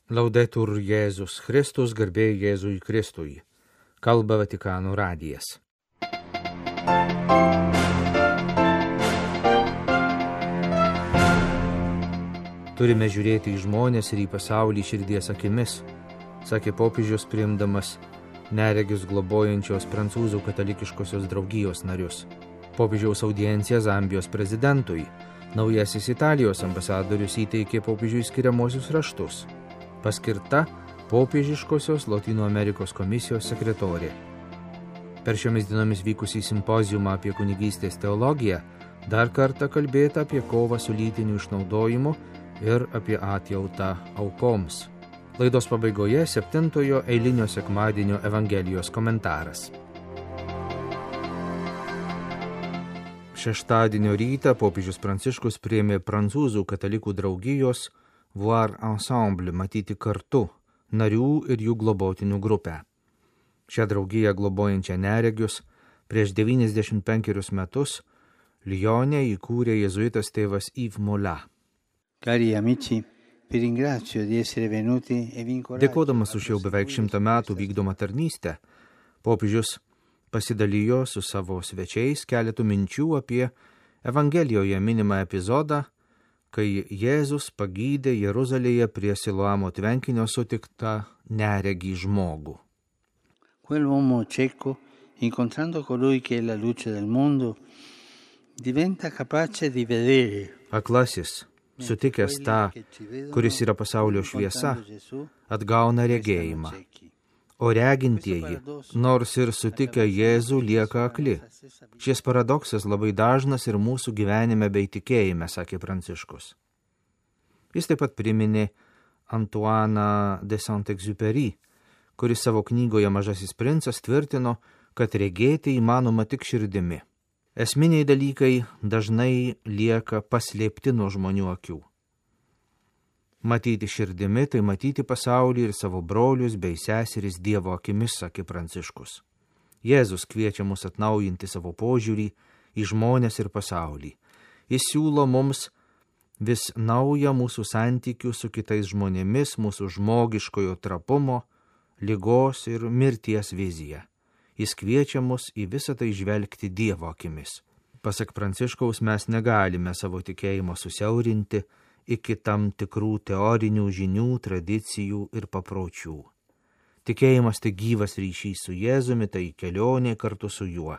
Laudetur Jėzus Kristus, garbė Jėzui Kristui. Kalba Vatikano radijas. Turime žiūrėti į žmonės ir į pasaulį širdies akimis, sakė popiežius priimdamas neregius globojančios prancūzų katalikiškosios draugijos narius. Popiežiaus audienciją Zambijos prezidentui. Naujasis Italijos ambasadorius įteikė popiežiui skiriamuosius raštus. Paskirta popiežiškosios Lotynų Amerikos komisijos sekretorė. Per šiomis dienomis vykusį simpoziumą apie kunigystės teologiją dar kartą kalbėta apie kovą su lytiniu išnaudojimu ir apie atjautą aukoms. Laidos pabaigoje 7-ojo eilinio sekmadienio Evangelijos komentaras. Šeštadienio rytą popiežius Pranciškus priėmė prancūzų katalikų draugijos Voir Ensemble, matyti kartu, narių ir jų globotinių grupę. Šią draugiją globojančią neregius prieš 95 metus Lyone įkūrė jėzuitas tėvas Yves Mola. Cari amici, vi ringrazio di essere venuti e vi incoraggio. Dėkodamas už jau beveik 100 metų vykdomą tarnystę, popiežius pasidalijo su savo svečiais keletų minčių apie Evangelijoje minimą epizodą, kai Jėzus pagydė Jeruzalėje prie Siloamo tvenkinio sutiktą neregį žmogų. Quell'uomo cieco, incontrando colui che è la luce del mondo, diventa capace di vedere. Aklasis, sutikęs tą, kuris yra pasaulio šviesa, atgauna regėjimą. O regintieji, nors ir sutikę Jėzų, lieka akli. Šis paradoksas labai dažnas ir mūsų gyvenime bei tikėjime, sakė Pranciškus. Jis taip pat priminė Antoiną de Saint-Exupéry, kuris savo knygoje Mažasis princas tvirtino, kad regėti įmanoma tik širdimi. Esminiai dalykai dažnai lieka paslėpti nuo žmonių akių. Matyti širdimi, tai matyti pasaulį ir savo brolius bei seseris Dievo akimis, sakė Pranciškus. Jėzus kviečia mus atnaujinti savo požiūrį į žmonės ir pasaulį. Jis siūlo mums vis naują mūsų santykių su kitais žmonėmis, mūsų žmogiškojo trapumo, ligos ir mirties viziją. Jis kviečia mus į visą tai žvelgti Dievo akimis. Pasak Pranciškaus, mes negalime savo tikėjimo susiaurinti iki tam tikrų teorinių žinių, tradicijų ir papročių. Tikėjimas tai gyvas ryšys su Jėzumi, tai kelionė kartu su juo,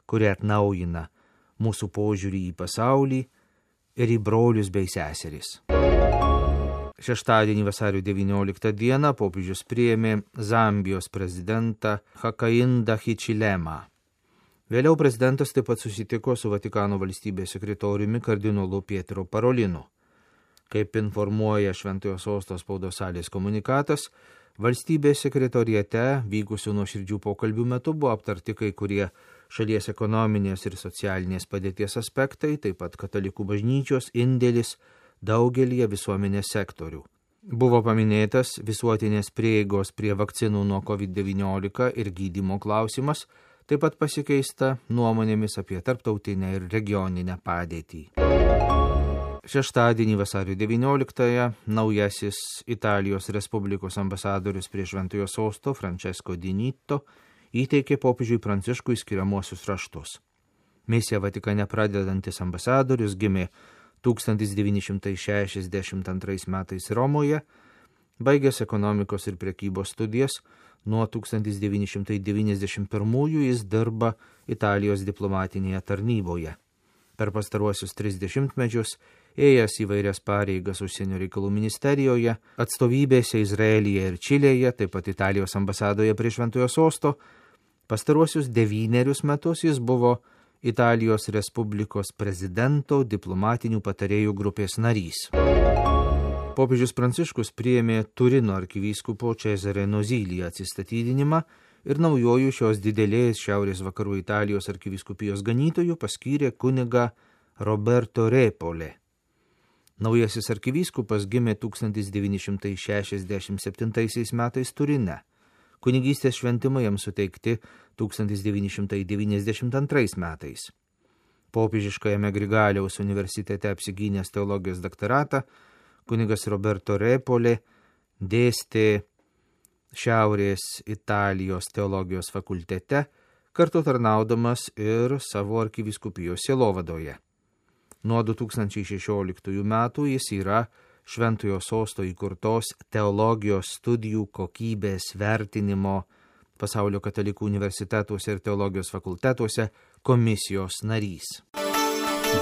kuri atnaujina mūsų požiūrį į pasaulį ir į brolius bei seseris. Šeštadienį vasario 19 dieną popiežius priėmė Zambijos prezidentą Hakainda Hichilemą. Vėliau prezidentas taip pat susitiko su Vatikano valstybės sekretoriumi kardinolu Pietro Parolinu. Kaip informuoja Šventojo Sosto spaudos salės komunikatas, valstybės sekretoriate vykusių nuoširdžių pokalbių metu buvo aptarti kai kurie šalies ekonominės ir socialinės padėties aspektai, taip pat katalikų bažnyčios indėlis daugelyje visuomenės sektorių. Buvo paminėtas visuotinės prieigos prie vakcinų nuo COVID-19 ir gydymo klausimas, taip pat pasikeista nuomonėmis apie tarptautinę ir regioninę padėtį. Šeštadienį vasario 19-ąją naujasis Italijos Respublikos ambasadorius prie Šventojo Sosto Francesco Di Nitto įteikė popiežiui Pranciškui skiriamuosius raštus. Misiją Vatikane pradedantis ambasadorius gimė 1962 metais Romoje, baigęs ekonomikos ir prekybos studijas, nuo 1991 jis dirba Italijos diplomatinėje tarnyboje. Per pastaruosius 30 mečius ėjęs įvairias pareigas užsienio reikalų ministerijoje, atstovybėse Izraelyje ir Čilėje, taip pat Italijos ambasadoje prie Šventojo Sosto. Pastaruosius 9 metus jis buvo Italijos Respublikos prezidento diplomatinių patarėjų grupės narys. Popiežius Pranciškus priėmė Turino arkivyskupo Cesare Nozilį atsistatydinimą ir naujojų šios didelės šiaurės vakarų Italijos arkivyskupijos ganytojų paskyrė kunigą Roberto Repole. Naujasis arkivyskupas gimė 1967 metais Turine. Kunigystės šventimai jam suteikti 1992 metais. Popiežiškajame Grigaliaus universitete apsigynęs teologijos daktaratą, kunigas Roberto Repole dėstė Šiaurės Italijos teologijos fakultete, kartu tarnaudamas ir savo arkivyskupijos sielovadoje. Nuo 2016 metų jis yra Šventojo Sosto įkurtos teologijos studijų kokybės vertinimo Pasaulio katalikų universitetuose ir teologijos fakultetuose komisijos narys.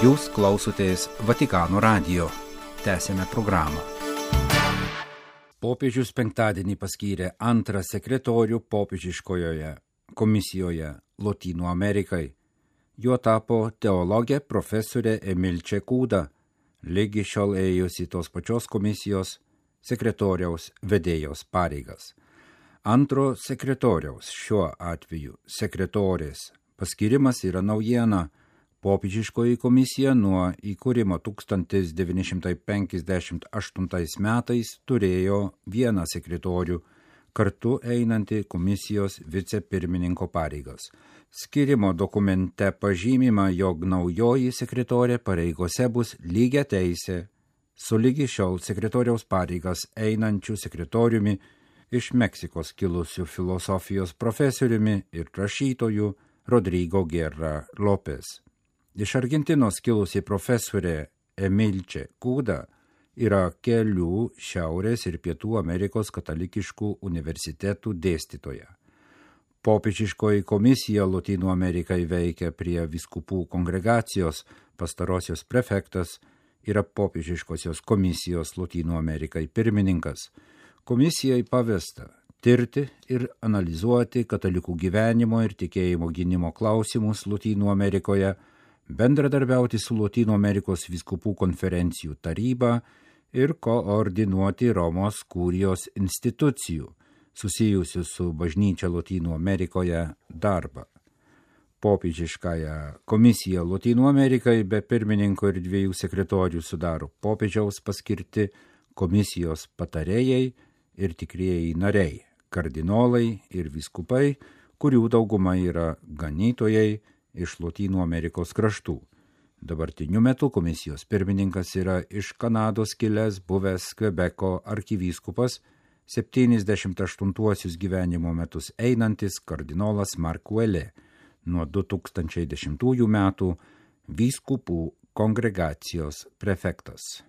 Jūs klausotės Vatikano radijo. Tęsėme programą. Popiežius penktadienį paskyrė antrą sekretorių popiežiškojoje komisijoje Lotynų Amerikai. Juo tapo teologė profesorė Emilče Kūda, lygi šiol ėjusi tos pačios komisijos sekretoriaus vedėjos pareigas. Antro sekretoriaus, šiuo atveju sekretorės, paskirimas yra naujiena. Popiežiškoji komisija nuo įkūrimo 1958 metais turėjo vieną sekretorių, kartu einantį komisijos vicepirmininko pareigas. Skirimo dokumente pažymima, jog naujoji sekretorė pareigose bus lygiateisė su lygi šiol sekretoriaus pareigas einančiu sekretoriumi iš Meksikos kilusiu filosofijos profesoriumi ir rašytoju Rodrigo Guerra Lopez. Iš Argentinos kilusi profesorė Emilče Kūda yra kelių Šiaurės ir Pietų Amerikos katalikiškų universitetų dėstytoja. Popiežiškoji komisija Lotynų Amerikai veikia prie vyskupų kongregacijos, pastarosios prefektas yra popiežiškosios komisijos Lotynų Amerikai pirmininkas. Komisijai pavesta tirti ir analizuoti katalikų gyvenimo ir tikėjimo gynimo klausimus Lotynų Amerikoje, bendradarbiauti su Lotynų Amerikos vyskupų konferencijų taryba ir koordinuoti Romos kurijos institucijų susijusių su bažnyčia Lotynų Amerikoje darbą. Popiežiškąją komisiją Lotynų Amerikai be pirmininko ir 2 sekretorių sudaro popiežiaus paskirti komisijos patarėjai ir tikrieji nariai, kardinolai ir vyskupai, kurių dauguma yra ganytojai iš Lotynų Amerikos kraštų. Dabartiniu metu komisijos pirmininkas yra iš Kanados kilęs buvęs Kvebeko arkivyskupas, 78 gyvenimo metus einantis kardinolas Mark Ouellet, nuo 2010 metų vyskupų kongregacijos prefektas.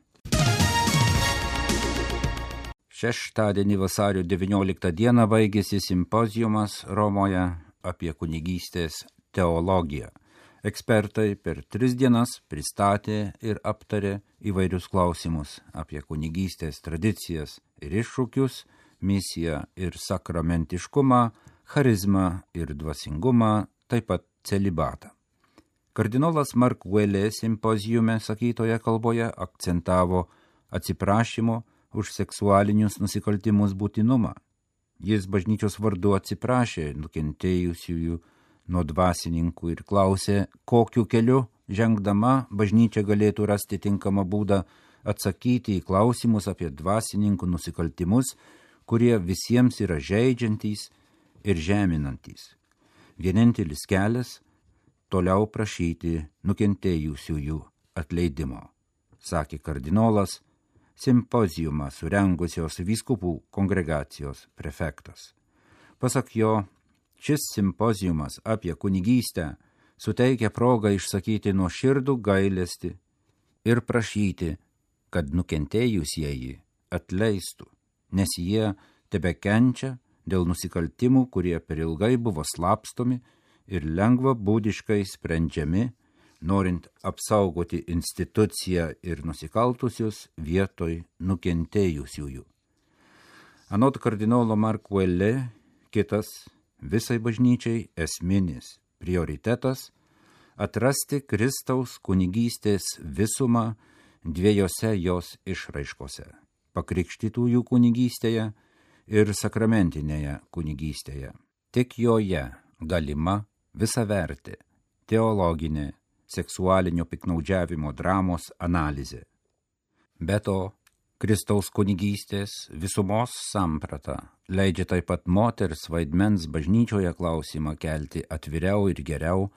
Šeštadienį vasario 19 dieną baigėsi simpoziumas Romoje apie kunigystės teologiją. Ekspertai per 3 dienas pristatė ir aptarė įvairius klausimus apie kunigystės tradicijas ir iššūkius, misiją ir sakramentiškumą, charizmą ir dvasingumą, taip pat celibatą. Kardinolas Mark Ouellet simpoziume sakytoje kalboje akcentavo atsiprašymo už seksualinius nusikaltimus būtinumą. Jis bažnyčios vardu atsiprašė nukentėjusiųjų nuo dvasininkų ir klausė, kokiu keliu žengdama bažnyčia galėtų rasti tinkamą būdą atsakyti į klausimus apie dvasininkų nusikaltimus, kurie visiems yra žeidžiantys ir žeminantys. Vienintelis kelias – toliau prašyti nukentėjusiųjų atleidimo, sakė kardinolas, simpoziumą surengusios vyskupų kongregacijos prefektas. Pasak jo, šis simpoziumas apie kunigystę suteikia progą išsakyti nuoširdų gailestį ir prašyti, kad nukentėjusieji atleistų, nes jie tebekenčia dėl nusikaltimų, kurie per ilgai buvo slapstomi ir lengva būdiškai sprendžiami, norint apsaugoti instituciją ir nusikaltusius vietoj nukentėjusiųjų. Anot kardinolo Mark Ouellet, kitas visai bažnyčiai esminis prioritetas – atrasti Kristaus kunigystės visumą 2 jos išraiškose – pakrikštytųjų kunigystėje ir sakramentinėje kunigystėje. Tik joje galima visavertė teologinė seksualinio piktnaudžiavimo dramos analizė. Be to, Kristaus kunigystės visumos samprata leidžia taip pat moters vaidmens bažnyčioje klausimą kelti atviriau ir geriau,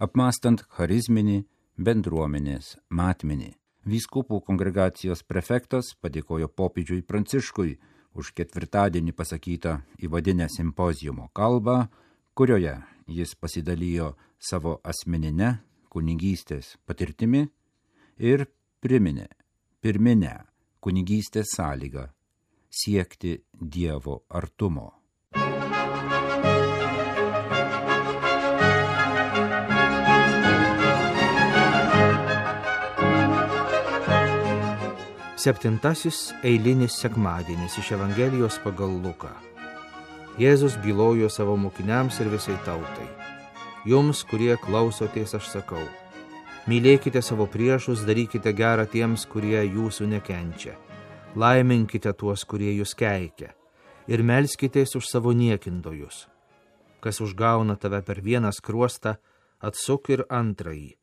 apmąstant charizminį bendruomenės matmenį. Vyskupų kongregacijos prefektas padėkojo popiežiui Pranciškui už ketvirtadienį pasakytą įvadinę simpoziumo kalbą, kurioje jis pasidalijo savo asmeninę kunigystės patirtimi ir priminė pirminę kunigystės sąlygą – siekti Dievo artumo. Septintasis eilinis sekmadienis iš Evangelijos pagal Luką. Jėzus bylojo savo mokiniams ir visai tautai. Jums, kurie klausotės, aš sakau, mylėkite savo priešus, darykite gerą tiems, kurie jūsų nekenčia. Laiminkite tuos, kurie jūs keikia. Ir melskitės už savo niekintojus. Kas užgauna tave per vieną skruostą, atsuk ir antrąjį.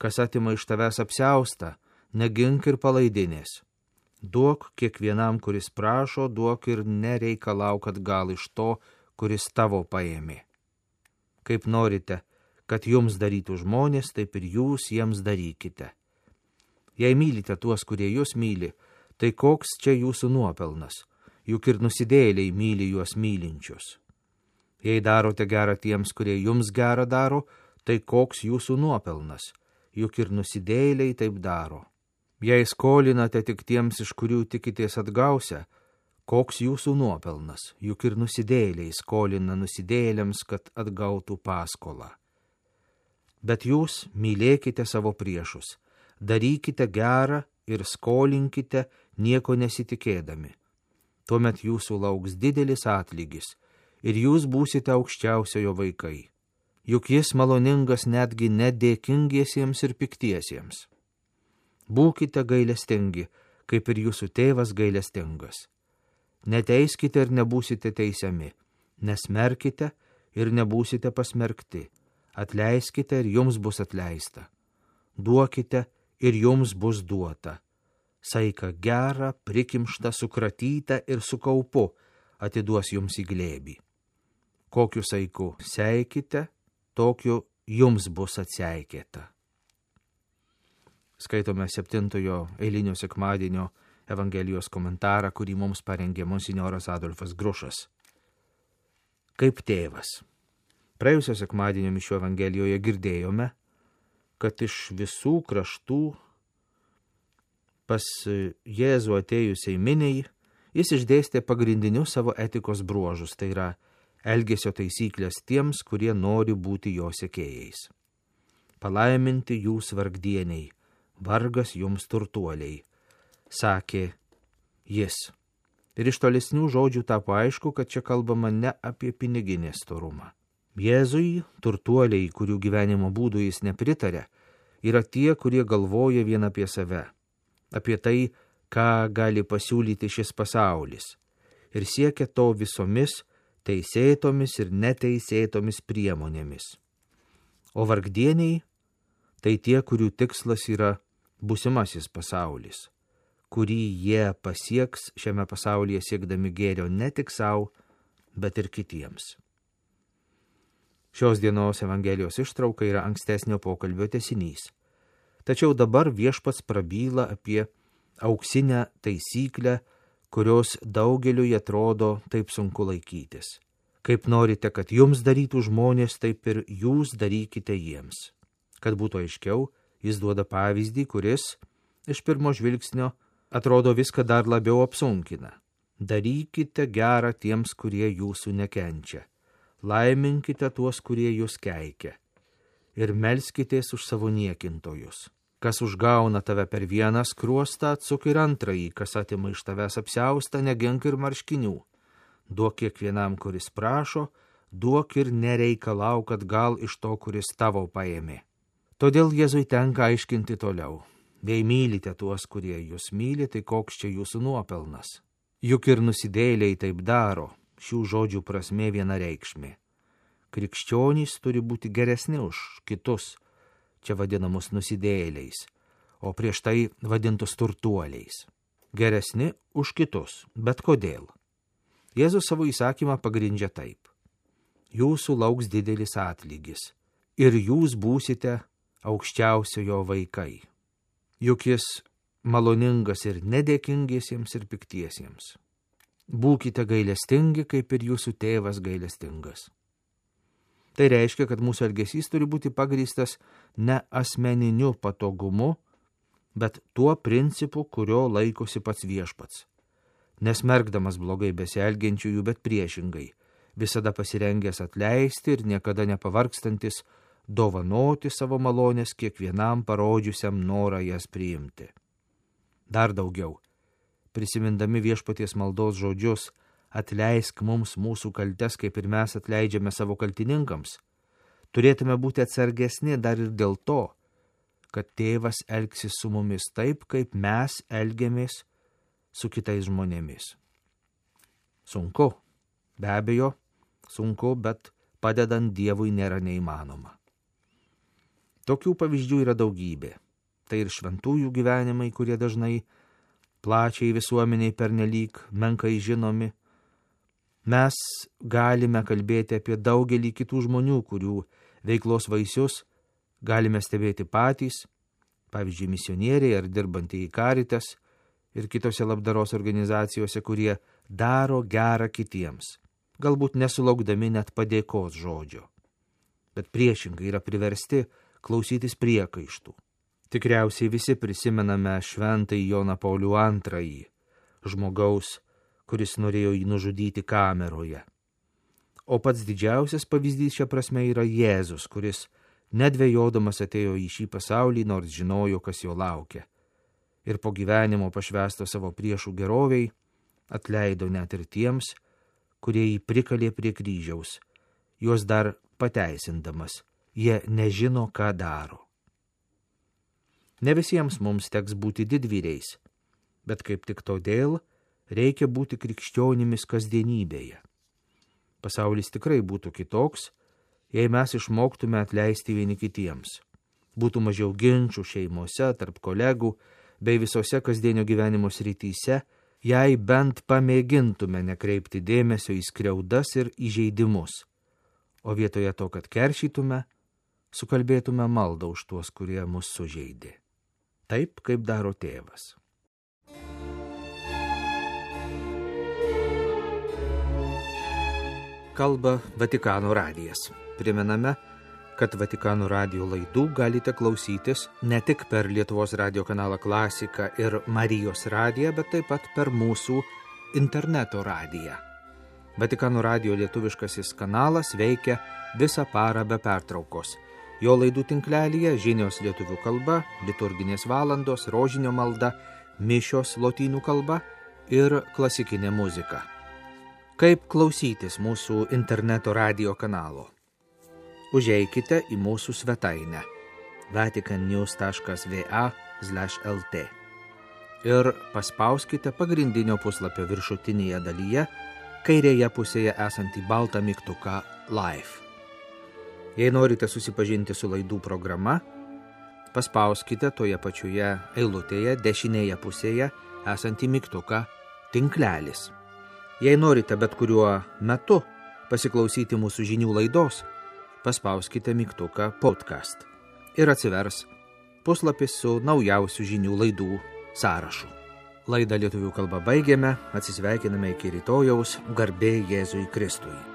Kas atima iš tavęs apsiaustą, negink ir palaidinės. Duok kiekvienam, kuris prašo, duok ir nereikalauk atgal iš to, kuris tavo paėmė. Kaip norite, kad jums darytų žmonės, taip ir jūs jiems darykite. Jei mylite tuos, kurie jūs myli, tai koks čia jūsų nuopelnas, juk ir nusidėjėliai myli juos mylinčius. Jei darote gerą tiems, kurie jums gerą daro, tai koks jūsų nuopelnas, juk ir nusidėjėliai taip daro. Jei skolinate tik tiems, iš kurių tikitės atgausia, koks jūsų nuopelnas, juk ir nusidėjėliai skolina nusidėjėliams, kad atgautų paskolą. Bet jūs mylėkite savo priešus, darykite gerą ir skolinkite nieko nesitikėdami. Tuomet jūsų lauks didelis atlygis ir jūs būsite aukščiausiojo vaikai. Juk jis maloningas netgi nedėkingiesiems ir piktiesiems. Būkite gailestingi, kaip ir jūsų tėvas gailestingas. Neteiskite ir nebūsite teisiami, nesmerkite ir nebūsite pasmerkti, atleiskite ir jums bus atleista, duokite ir jums bus duota. Saiką gerą, prikimštą, sukratytą ir su kaupu atiduos jums į glėbį. Kokiu saiku seikite, tokiu jums bus atseikėta. Skaitome 7 eilinio sekmadienio Evangelijos komentarą, kurį mums parengė monsinjoras Adolfas Grušas. Kaip tėvas. Praėjusio sekmadienio mišių Evangelijoje girdėjome, kad iš visų kraštų pas Jėzų atėjusiai miniai jis išdėstė pagrindinius savo etikos bruožus, tai yra elgesio taisyklės tiems, kurie nori būti jo sekėjais. Palaiminti jūs vargdieniai, vargas jums turtuoliai, sakė jis. Ir iš tolesnių žodžių tapo aišku, kad čia kalbama ne apie piniginę storumą. Jėzui turtuoliai, kurių gyvenimo būdų jis nepritarė, yra tie, kurie galvoja vien apie save, apie tai, ką gali pasiūlyti šis pasaulis, ir siekia to visomis teisėtomis ir neteisėtomis priemonėmis. O vargdieniai tai tie, kurių tikslas yra būsimasis pasaulis, kurį jie pasieks šiame pasaulyje siekdami gėrio ne tik savo, bet ir kitiems. Šios dienos Evangelijos ištrauka yra ankstesnio pokalbio tęsinys. Tačiau dabar viešpats prabyla apie auksinę taisyklę, kurios daugeliui atrodo taip sunku laikytis. Kaip norite, kad jums darytų žmonės, taip ir jūs darykite jiems. Kad būtų aiškiau, jis duoda pavyzdį, kuris iš pirmo žvilgsnio atrodo viską dar labiau apsunkina. Darykite gerą tiems, kurie jūsų nekenčia. Laiminkite tuos, kurie jūs keikia. Ir melskitės už savo niekintojus. Kas užgauna tave per vieną skruostą, atsuk ir antrąjį, kas atima iš tavęs apsiaustą, negink ir marškinių. Duok kiekvienam, kuris prašo, duok ir nereikalauk atgal iš to, kuris tavo paėmė. Todėl Jėzui tenka aiškinti toliau. Jei mylite tuos, kurie jūs myli, tai koks čia jūsų nuopelnas. Juk ir nusidėjėliai taip daro, šių žodžių prasmė vienareikšmė. Krikščionys turi būti geresni už kitus, čia vadinamus nusidėjėliais, o prieš tai vadintus turtuoliais. Geresni už kitus, bet kodėl? Jėzus savo įsakymą pagrindžia taip. Jūsų lauks didelis atlygis ir jūs būsite aukščiausiojo vaikai. Juk jis maloningas ir nedėkingiesiems ir piktiesiems. Būkite gailestingi, kaip ir jūsų tėvas gailestingas. Tai reiškia, kad mūsų elgesys turi būti pagrįstas ne asmeniniu patogumu, bet tuo principu, kurio laikosi pats viešpats. Nesmergdamas blogai besielgiančiųjų, bet priešingai, visada pasirengęs atleisti ir niekada nepavargstantis dovanoti savo malonės kiekvienam parodžiusiam norą jas priimti. Dar daugiau, prisimindami viešpaties maldos žodžius, atleisk mums mūsų kaltes, kaip ir mes atleidžiame savo kaltininkams, turėtume būti atsargesni dar ir dėl to, kad tėvas elgsis su mumis taip, kaip mes elgiamės su kitais žmonėmis. Sunku, be abejo, sunku, bet padedant Dievui nėra neįmanoma. Tokių pavyzdžių yra daugybė. Tai ir šventųjų gyvenimai, kurie dažnai plačiai visuomeniai pernelyg menkai žinomi. Mes galime kalbėti apie daugelį kitų žmonių, kurių veiklos vaisius galime stebėti patys, pavyzdžiui, misionieriai ar dirbantieji Caritas ir kitose labdaros organizacijose, kurie daro gerą kitiems, galbūt nesulaukdami net padėkos žodžio, bet priešingai yra priversti klausytis priekaištų. Tikriausiai visi prisimename šventąjį Joną Paulių II, žmogaus, kuris norėjo jį nužudyti kameroje. O pats didžiausias pavyzdys šia prasme yra Jėzus, kuris nedvejodamas atėjo į šį pasaulį, nors žinojo, kas jo laukia. Ir po gyvenimo pašvęsto savo priešų geroviai, atleido net ir tiems, kurie jį prikalė prie kryžiaus, juos dar pateisindamas, jie nežino, ką daro. Ne visiems mums teks būti didvyriais, bet kaip tik todėl reikia būti krikščionimis kasdienybėje. Pasaulis tikrai būtų kitoks, jei mes išmoktume atleisti vieni kitiems. Būtų mažiau ginčų šeimose, tarp kolegų, bei visose kasdienio gyvenimo srityse, jei bent pamėgintume nekreipti dėmesio į skriaudas ir įžeidimus, o vietoje to, kad keršytume, sukalbėtume maldą už tuos, kurie mus sužeidė. Taip, kaip daro tėvas. Kalba Vatikano radijas. Primename, kad Vatikano radijo laidų galite klausytis ne tik per Lietuvos radijo kanalą Klasika ir Marijos radiją, bet taip pat per mūsų interneto radiją. Vatikano radijo lietuviškasis kanalas veikia visą parą be pertraukos. Jo laidų tinklelyje žinios lietuvių kalba, liturginės valandos, rožinio malda, mišios lotynų kalba ir klasikinė muzika. Kaip klausytis mūsų interneto radijo kanalo? Užeikite į mūsų svetainę vaticannews.va/lt ir paspauskite pagrindinio puslapio viršutinėje dalyje, kairėje pusėje esantį baltą mygtuką Live. Jei norite susipažinti su laidų programa, paspauskite toje pačioje eilutėje dešinėje pusėje esantį mygtuką Tinklelis. Jei norite bet kuriuo metu pasiklausyti mūsų žinių laidos, paspauskite mygtuką Podcast ir atsivers puslapis su naujausių žinių laidų sąrašu. Laidą lietuvių kalba baigėme, atsisveikiname iki rytojaus, garbė Jėzui Kristui.